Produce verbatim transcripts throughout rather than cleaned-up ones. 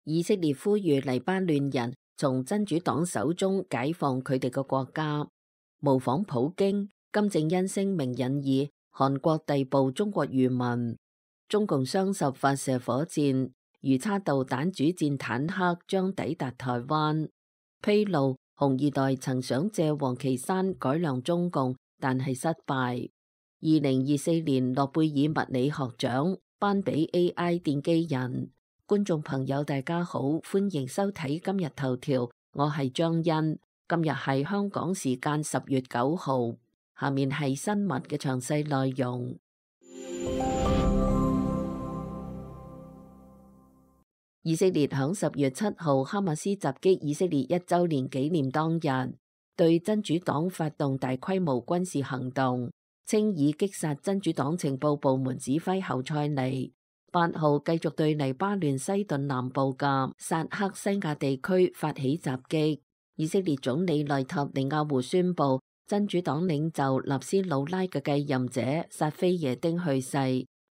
以色列呼籲黎巴嫩人從真主黨手中解放佢哋嘅國家。模仿普京，金正恩聲明引議韓國逮捕中國漁民。中共雙十發射火箭，魚叉導彈主戰坦克將抵達台灣。披露紅二代曾想借王岐山改良中共，但係失敗。二零二四年諾貝爾物理學獎頒俾 A I 奠基人。觀眾朋友大家好，歡迎收睇今日頭條，我係張欣。今日係香港時間十月九號，下面係新聞嘅詳細內容。以色列響十月七號哈馬斯襲擊以色列一周年紀念當日，對真主黨發動大規模軍事行動，稱已擊殺真主黨情報部門指揮侯賽尼。八號繼續對黎巴嫩西頓南部嘅薩克西亞地區發起襲擊。以色列總理內塔尼亞胡宣布，真主黨領袖納斯魯拉嘅繼任者薩菲耶丁去世，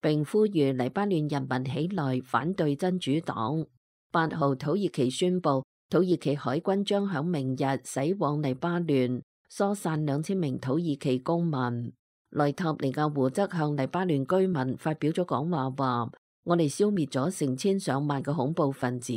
並呼籲黎巴嫩人民起來反對真主黨。八號土耳其宣布，土耳其海軍將響明日駛往黎巴嫩，疏散兩千名土耳其公民。內塔尼亞胡則向黎巴嫩居民發表咗講話，話我哋消滅咗成千上萬嘅恐怖分子，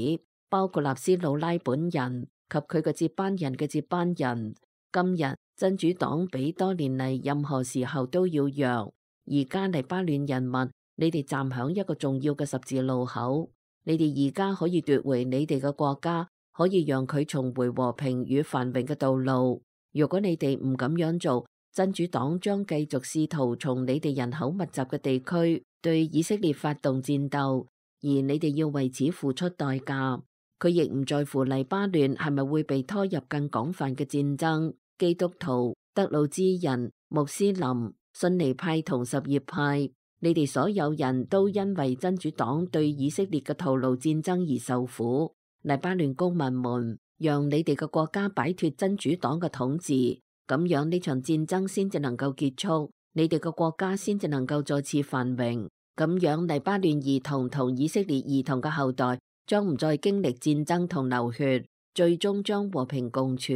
包括納斯魯拉本人及佢嘅接班人嘅接班人。今日真主黨比多年嚟任何時候都要弱。而家黎巴嫩人民，你哋站響一個重要嘅十字路口，你哋而家可以奪回你哋嘅國家，可以讓佢重回和平與繁榮嘅道路。如果你哋唔咁樣做，真主黨將繼續試圖從你哋人口密集嘅地區對以色列發動戰鬥，而你哋要為此付出代價。佢亦唔在乎黎巴嫩係咪會被拖入更廣泛嘅戰爭。基督徒、德魯茲人、穆斯林、遜尼派同什葉派，你哋所有人都因為真主黨對以色列嘅徒勞戰爭而受苦。黎巴嫩公民們，讓你哋嘅國家擺脫真主黨嘅統治，咁樣呢場戰爭先至能夠結束，你哋嘅國家先至能夠再次繁榮。咁樣黎巴嫩兒童同以色列兒童嘅後代將唔再經歷戰爭同流血，最終將和平共處。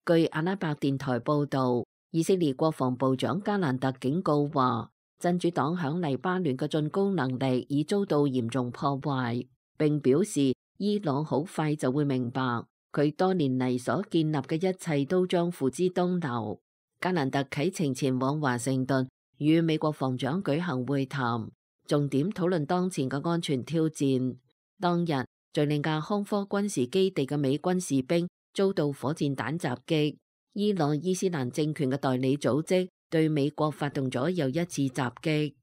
據阿拉伯電台報道，以色列國防部長加蘭特警告話，真主黨響黎巴嫩嘅進攻能力已遭到嚴重破壞，並表示伊朗好快就會明白，佢多年嚟所建立嘅一切都將付之東流。加蘭特啟程前往華盛頓與美國防長舉行會談，重點討論當前嘅安全挑戰。當日，敘利亞康科軍事基地嘅美軍士兵遭到火箭彈襲擊，伊朗伊斯蘭政權嘅代理組織對美國發動咗又一次襲擊。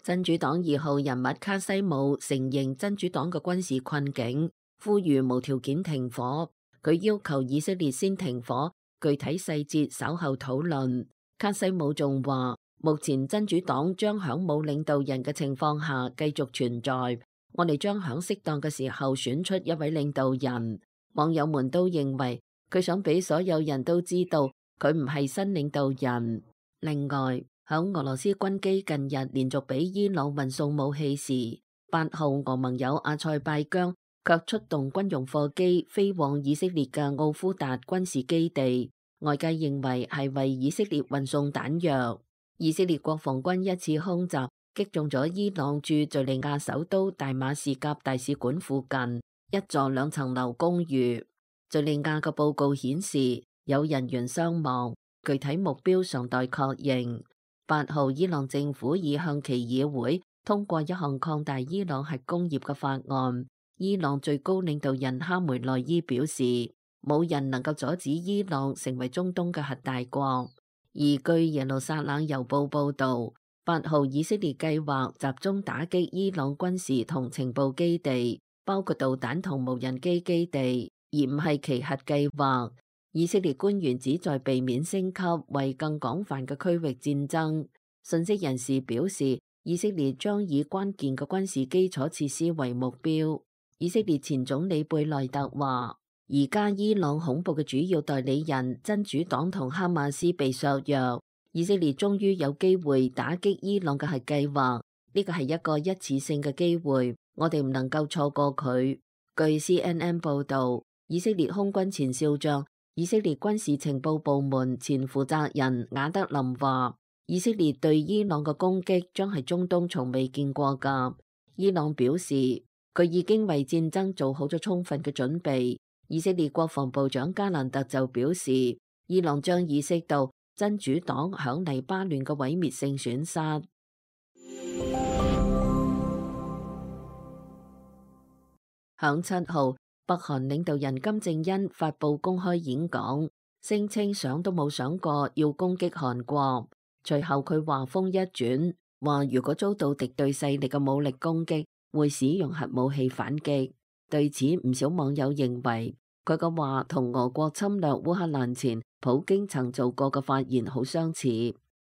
真主黨二號人物卡西姆承認真主黨嘅軍事困境，呼籲無條件停火。佢要求以色列先停火，具體細節稍後討論。卡西姆仲話，目前真主黨將響冇領導人嘅情況下繼續存在，我哋將響適當嘅時候選出一位領導人。網友們都認為佢想俾所有人都知道佢唔係新領導人。另外，響俄羅斯軍機近日連續俾伊朗運送武器時，八號俄盟友阿塞拜疆卻出動軍用貨機飛往以色列嘅奧夫達軍事基地，外界認為係為以色列運送彈藥。以色列國防軍一次空襲擊中咗伊朗駐敘利亞首都大馬士革大使館附近一座兩層樓公寓。敘利亞嘅報告顯示有人員傷亡，具體目標尚待確認。八號伊朗政府已向其議會通過一項擴大伊朗核工業嘅法案。伊朗最高領導人哈梅內伊表示，冇人能夠阻止伊朗成為中東嘅核大國。而據耶路撒冷郵報報道，八號以色列計劃集中打擊伊朗軍事同情報基地，包括導彈同無人機基地，而唔係其核計劃。以色列官員旨在避免升級為更廣泛嘅區域戰爭。信息人士表示，以色列將以關鍵嘅軍事基礎設施為目標。以色列前總理貝內特話，而家伊朗恐怖嘅主要代理人真主黨同哈馬斯被削弱，以色列終於有機會打擊伊朗嘅核計劃。呢個係一個一次性嘅機會，我哋唔能夠錯過佢。據 C N N 報導，以色列空軍前少將、以色列軍事情報部門前負責人雅德林話，以色列對伊朗嘅攻擊將係中東從未見過㗎。伊朗表示，佢已經為戰爭做好咗充分嘅準備。以色列國防部長加蘭特就表示，伊朗將意識到真主黨響黎巴嫩嘅毀滅性損失。響七號，北韓領導人金正恩發佈公開演講，聲稱想都冇想過要攻擊韓國。隨後佢話風一轉，話如果遭到敵對勢力嘅武力攻擊，會使用核武器反擊。對此，唔少網友認為佢嘅話同俄國侵略烏克蘭前普京曾做過嘅發言好相似。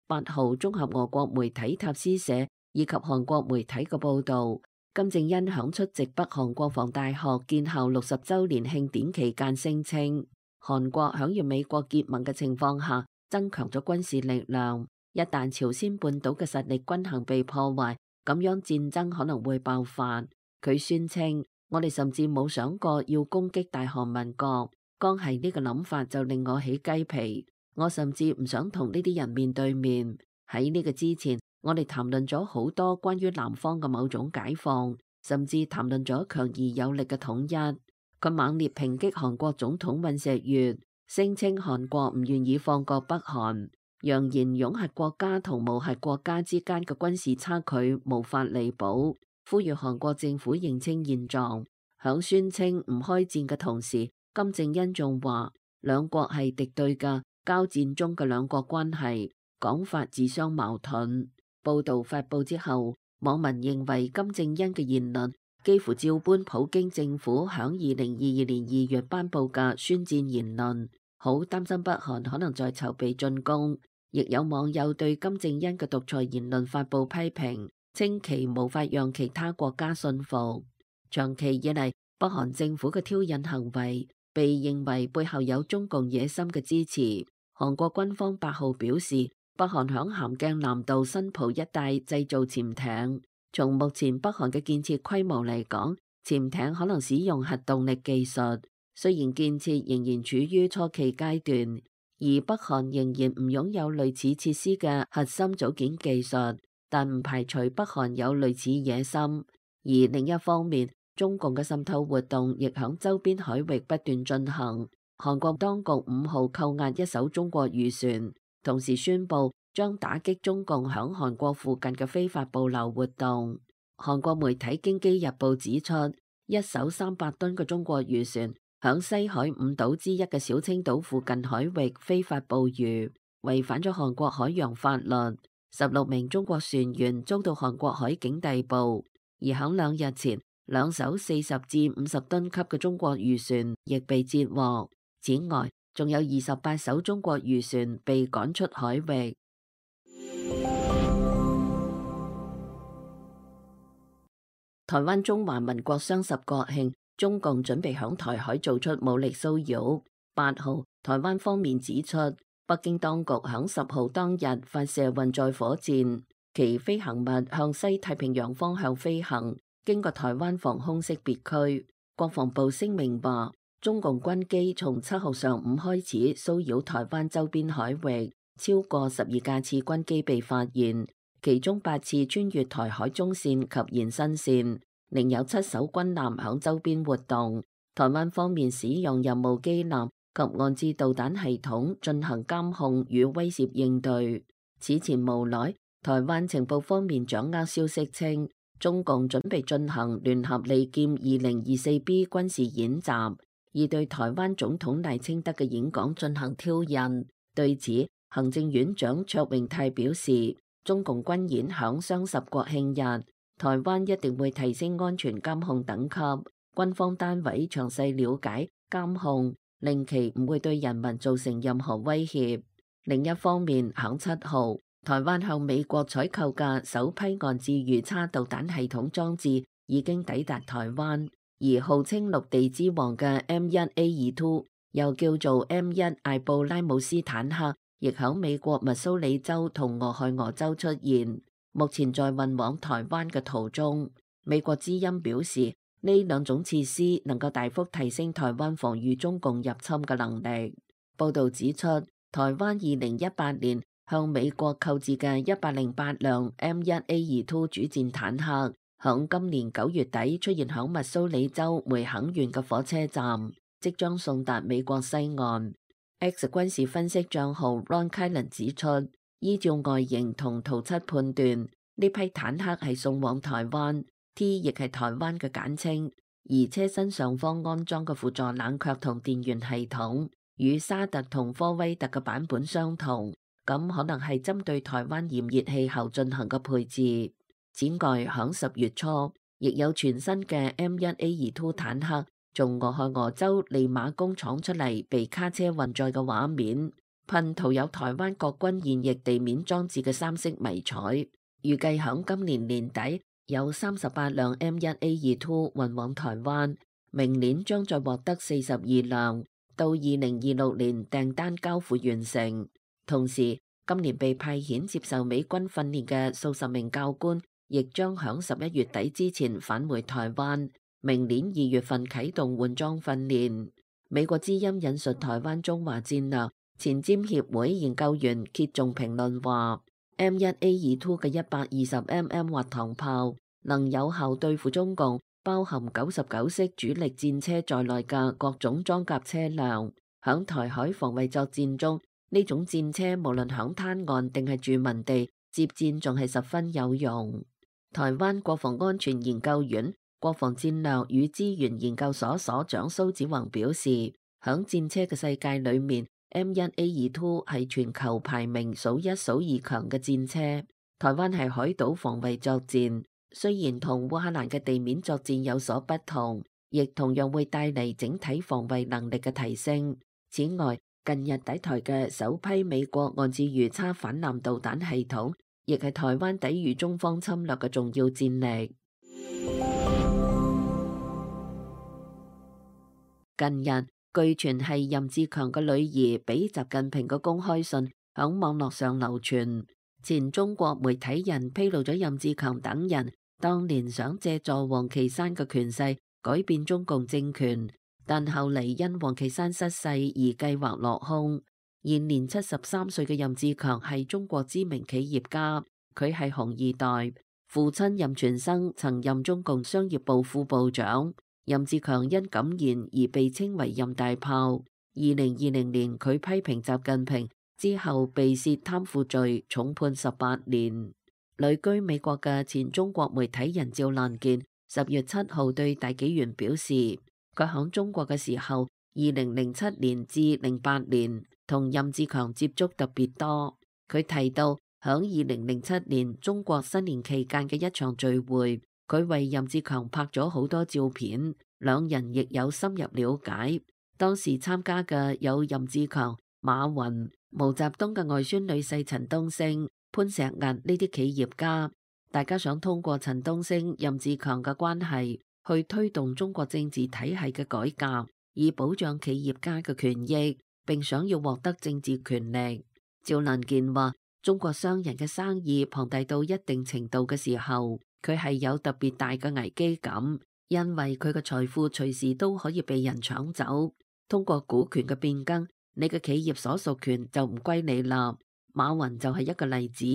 八號，綜合俄國媒體塔斯社以及韓國媒體嘅報導，金正恩響出席北韓國防大學建校六十週年慶典期間聲稱，韓國響與美國結盟嘅情況下增強咗軍事力量，一旦朝鮮半島嘅實力均衡被破壞，咁樣戰爭可能會爆發。佢宣稱，我哋甚至冇想過要攻擊大韓民國，光係呢個諗法就令我起雞皮。我甚至唔想同呢啲人面對面。喺呢個之前，我哋談論咗好多關於南方嘅某種解放，甚至談論咗強而有力嘅統一。佢猛烈抨擊韓國總統尹錫悅，聲稱韓國唔願意放過北韓，揚言擁核國家同無核國家之間嘅軍事差距無法彌補，呼籲韓國政府認清現狀。響宣稱唔開戰嘅同時，金正恩仲話兩國係敵對嘅，交戰中嘅兩國關係講法自相矛盾。報道發佈之後，網民認為金正恩嘅言論幾乎照搬普京政府響二零二二年二月頒布嘅宣戰言論，好擔心北韓可能在籌備進攻。亦有網友對金正恩嘅獨裁言論發佈批評，稱其無法讓其他國家信服。長期以嚟，北韓政府嘅挑釁行為被認為背後有中共野心嘅支持。韓國軍方八號表示，北韓響咸鏡南道新浦一帶製造潛艇。從目前北韓嘅建設規模嚟講，潛艇可能使用核動力技術，雖然建設仍然處於初期階段，而北韓仍然唔擁有類似設施嘅核心組件技術，但唔排除北韓有類似野心。而另一方面，中共嘅滲透活動亦響周邊海域不斷進行。韓國當局五號扣押一艘中國漁船，同時宣布將打擊中共響韓國附近嘅非法捕撈活動。韓國媒體京畿日報指出，一艘三百噸嘅中國漁船響西海五島之一嘅小青島附近海域非法捕魚，違反咗韓國海洋法律。十六名中國船員遭到韓國海警逮捕，而響兩日前，兩艘四十至五十噸級嘅中國漁船亦被截獲。此外，仲有二十八艘中國漁船被趕出海域。台灣中華民國雙十國慶，中共準備響台海做出武力騷擾。八號，台灣方面指出，北京當局響十號當日發射運載火箭，其飛行物向西太平洋方向飛行，經過台灣防空識別區。國防部聲明話，中共軍機從七號上午開始騷擾台灣周邊海域，超過十二架次軍機被發現，其中八次穿越台海中線及延伸線，另有七艘軍艦響周邊活動。台灣方面使用任務機艦及岸置導彈系統進行監控與威懾應對。此前無奈，台灣情報方面掌握消息稱，中共準備進行聯合利劍二零二四 B 軍事演習，而對台灣總統賴清德嘅演講進行挑釁。對此，行政院長卓榮泰表示，中共軍演響雙十國慶日，台灣一定會提升安全監控等級，軍方單位詳細了解監控，令其唔會對人民造成任何威脅。另一方面，響七號，台灣向美國採購嘅首批岸置魚叉導彈系統裝置已經抵達台灣。而號稱陸地之王嘅 M 一 A 二 又叫做 M 一 艾布拉姆斯坦克，亦響美國密蘇里州同俄亥俄州出現，目前在運往台灣嘅途中。美國之音表示，呢兩種設施能夠大幅提升台灣防禦中共入侵嘅能力。報導指出，台灣二零一八年向美國購置嘅一百零八輛 M 一 A 二 two 主戰坦克，響今年九月底出現響密蘇里州梅肯縣嘅火車站，即將送達美國西岸。X 軍事分析帳號 Ron Kylan 指出，依照外形同圖則判斷，呢批坦克係送往台灣 ，T 亦係台灣嘅簡稱，而車身上方安裝嘅輔助冷卻同電源系統，與沙特同科威特嘅版本相同，咁可能係針對台灣炎熱氣候進行嘅配置。此外，響十月初，亦有全新嘅 M 一 A 二 two 坦克從俄亥俄州利馬工廠出嚟，被卡車運載嘅畫面，噴塗有台灣國軍現役地面裝置嘅三色迷彩。預計響今年年底有三十八輛 M 一 A 二 two 運往台灣，明年將再獲得四十二輛，到二零二六年訂單交付完成。同時，今年被派遣接受美軍訓練嘅數十名教官，亦將響十一月底之前返回台灣，明年二月份啟動換裝訓練。美國之音引述台灣中華戰略前瞻協會研究員揭仲評論話，M 一 A 二 two 嘅一百二十 mm 滑膛炮能有效對付中共包含九十九式主力戰車在內嘅各種裝甲車輛。響台海防衛作戰中，呢種戰車無論響灘岸定係住民地接戰，仲係十分有用。台灣國防安全研究院國防戰略與資源研究所所長蘇子宏表示，響戰車嘅世界裏面，M 一 A 二 two 係全球排名數一數二強嘅戰車。台灣係海島防衛作戰，雖然同烏克蘭嘅地面作戰有所不同，亦同樣會帶嚟整體防衛能力嘅提升。此外，近日抵台嘅首批美國岸置魚叉反艦導彈系統，亦係台灣抵禦中方侵略嘅重要戰力。近日，據傳係任志強嘅女兒俾習近平嘅公開信響網絡上流傳，前中國媒體人披露咗任志強等人當年想借助王岐山嘅權勢改變中共政權，但後嚟因王岐山失勢而計劃落空。現年七十三歲嘅任志強係中國知名企業家，佢係紅二代，父親任全生曾任中共商業部副部長。任志強因敢言而被稱為任大炮。二零二零年佢批評習近平之後被涉貪腐罪，重判十八年。旅居美國嘅前中國媒體人趙蘭健十月七號對大紀元表示，佢響中國嘅時候，二零零七年至零八年同任志強接觸特別多。佢提到響二零零七年中國新年期間嘅一場聚會，佢為任志強拍咗好多照片，兩人亦有深入了解。當時參加嘅有任志強、馬雲、毛澤東嘅外孫女婿陳東升、潘石屹呢啲企業家，大家想通過陳東升、任志強嘅關係去推動中國政治體系嘅改革，以保障企業家嘅權益，並想要獲得政治權力。趙蘭健話，中國商人嘅生意龐大到一定程度嘅時候，佢係有特別大嘅危機感，因為佢嘅財富隨時都可以被人搶走。通過股權嘅變更，你嘅企業所屬權就唔歸你啦。馬雲就係一個例子，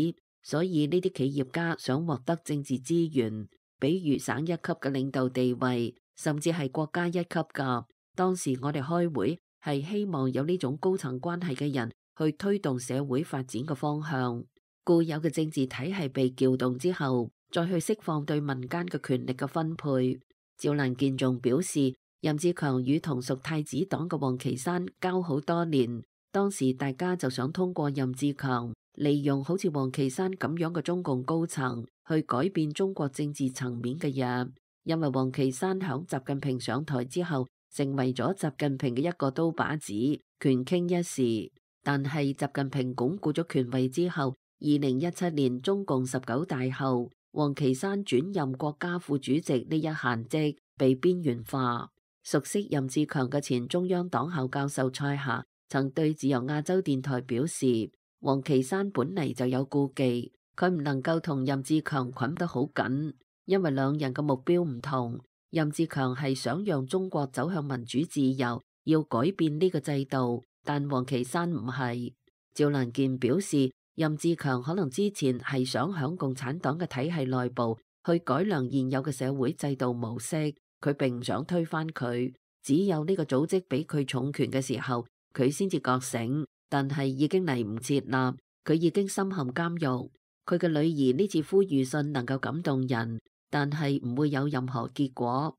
所以呢啲企業家想獲得政治資源，比如省一級嘅領導地位，甚至係國家一級㗎。當時我哋開會係希望有呢種高層關係嘅人去推動社會發展嘅方向。固有嘅政治體系被撬動之後，再去釋放對民間嘅權力嘅分配。趙蘭健仲表示，任志強與同屬太子黨嘅王岐山交好多年，當時大家就想通過任志強利用好似王岐山咁樣嘅中共高層去改變中國政治層面嘅嘢，因為王岐山響習近平上台之後成為咗習近平嘅一個刀把子，權傾一時。但係習近平鞏固咗權位之後，二零一七年中共十九大後，王岐山轉任國家副主席呢一閒職被邊緣化。熟悉任志強嘅前中央黨校教授蔡霞曾對自由亞洲電台表示，王岐山本嚟就有顧忌，佢唔能夠同任志強捆得好緊，因為兩人嘅目標唔同。任志強係想讓中國走向民主自由，要改變呢個制度，但王岐山唔係。趙蘭健表示，任志強可能之前係想響共產黨嘅體系內部去改良現有嘅社會制度模式，佢並唔想推翻佢。只有呢個組織俾佢重權嘅時候，佢先至覺醒，但係已經嚟唔切啦，佢已經深陷監獄。佢嘅女兒呢次呼籲信能夠感動人，但係唔會有任何結果。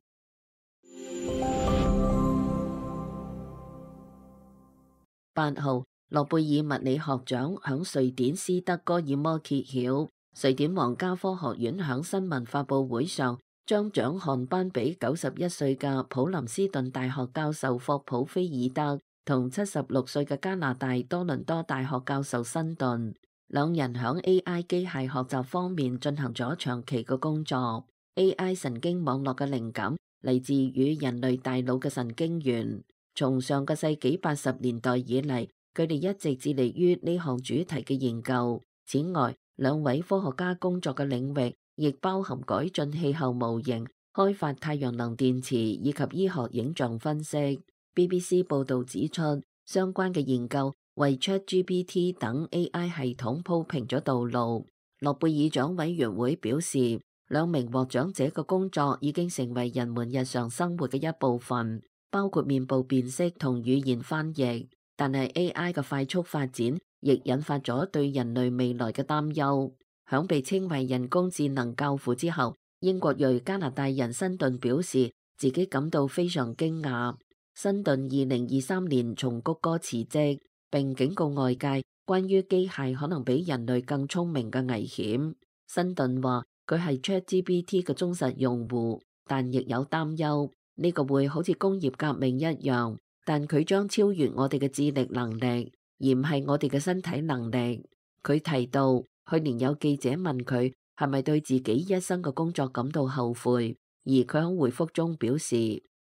八號，諾貝爾物理學獎響瑞典斯德哥爾摩揭曉，瑞典皇家科學院響新聞發佈會上將獎項頒俾九十一歲嘅普林斯頓大學教授霍普菲爾德同七十六歲嘅加拿大多倫多大學教授辛頓，兩人響 A I 機械學習方面進行咗長期嘅工作。A I 神經網絡嘅靈感嚟自與人類大腦嘅神經元。從上個世紀八十年代以嚟，佢哋一直致力於呢項主題嘅研究。此外，兩位科學家工作嘅領域亦包含改進氣候模型、開發太陽能電池以及醫學影像分析。B B C 報導指出，相關嘅研究為 ChatGPT 等 A I 系統鋪平咗道路。諾貝爾獎委員會表示，兩名獲獎者嘅工作已經成為人們日常生活嘅一部分，包括面部辨識同語言翻譯。但係 A I 嘅快速發展亦引發咗對人類未來嘅擔憂。響被稱為人工智能教父之後，英國裔加拿大人辛頓表示自己感到非常驚訝。辛頓二零二三年從谷歌辭職，並警告外界關於機械可能比人類更聰明嘅危險。辛頓話佢係 ChatGPT 嘅忠實用戶，但亦有擔憂呢個會好似工業革命一樣，但佢將超越我哋嘅智力能力，而唔係我哋嘅身體能力。佢提到去年有記者問佢係咪對自己一生嘅工作感到後悔，而佢喺回覆中表示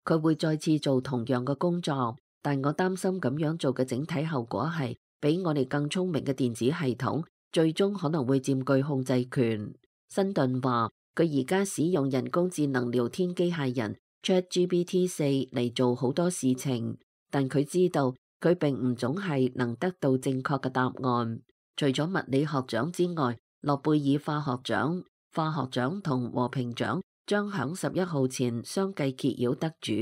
佢會再次做同樣嘅工作，但我擔心咁樣做嘅整體後果係比我哋更聰明嘅電子系統最終可能會佔據控制權。辛頓話佢而家使用人工智能聊天機械人 ChatGPT 四嚟做好多事情，但佢知道佢並唔總係能得到正確嘅答案。除咗物理學獎之外，諾貝爾化學獎、化學獎同和平獎將響十一號前相繼揭曉得主。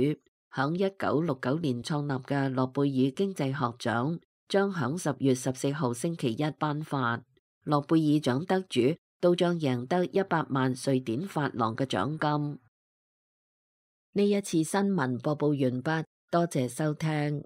響一九六九年創立嘅諾貝爾經濟學獎將響十月十四號星期一頒發，諾貝爾獎得主都將贏得一百萬瑞典法郎嘅獎金。呢一次新聞播報完畢，多謝收聽。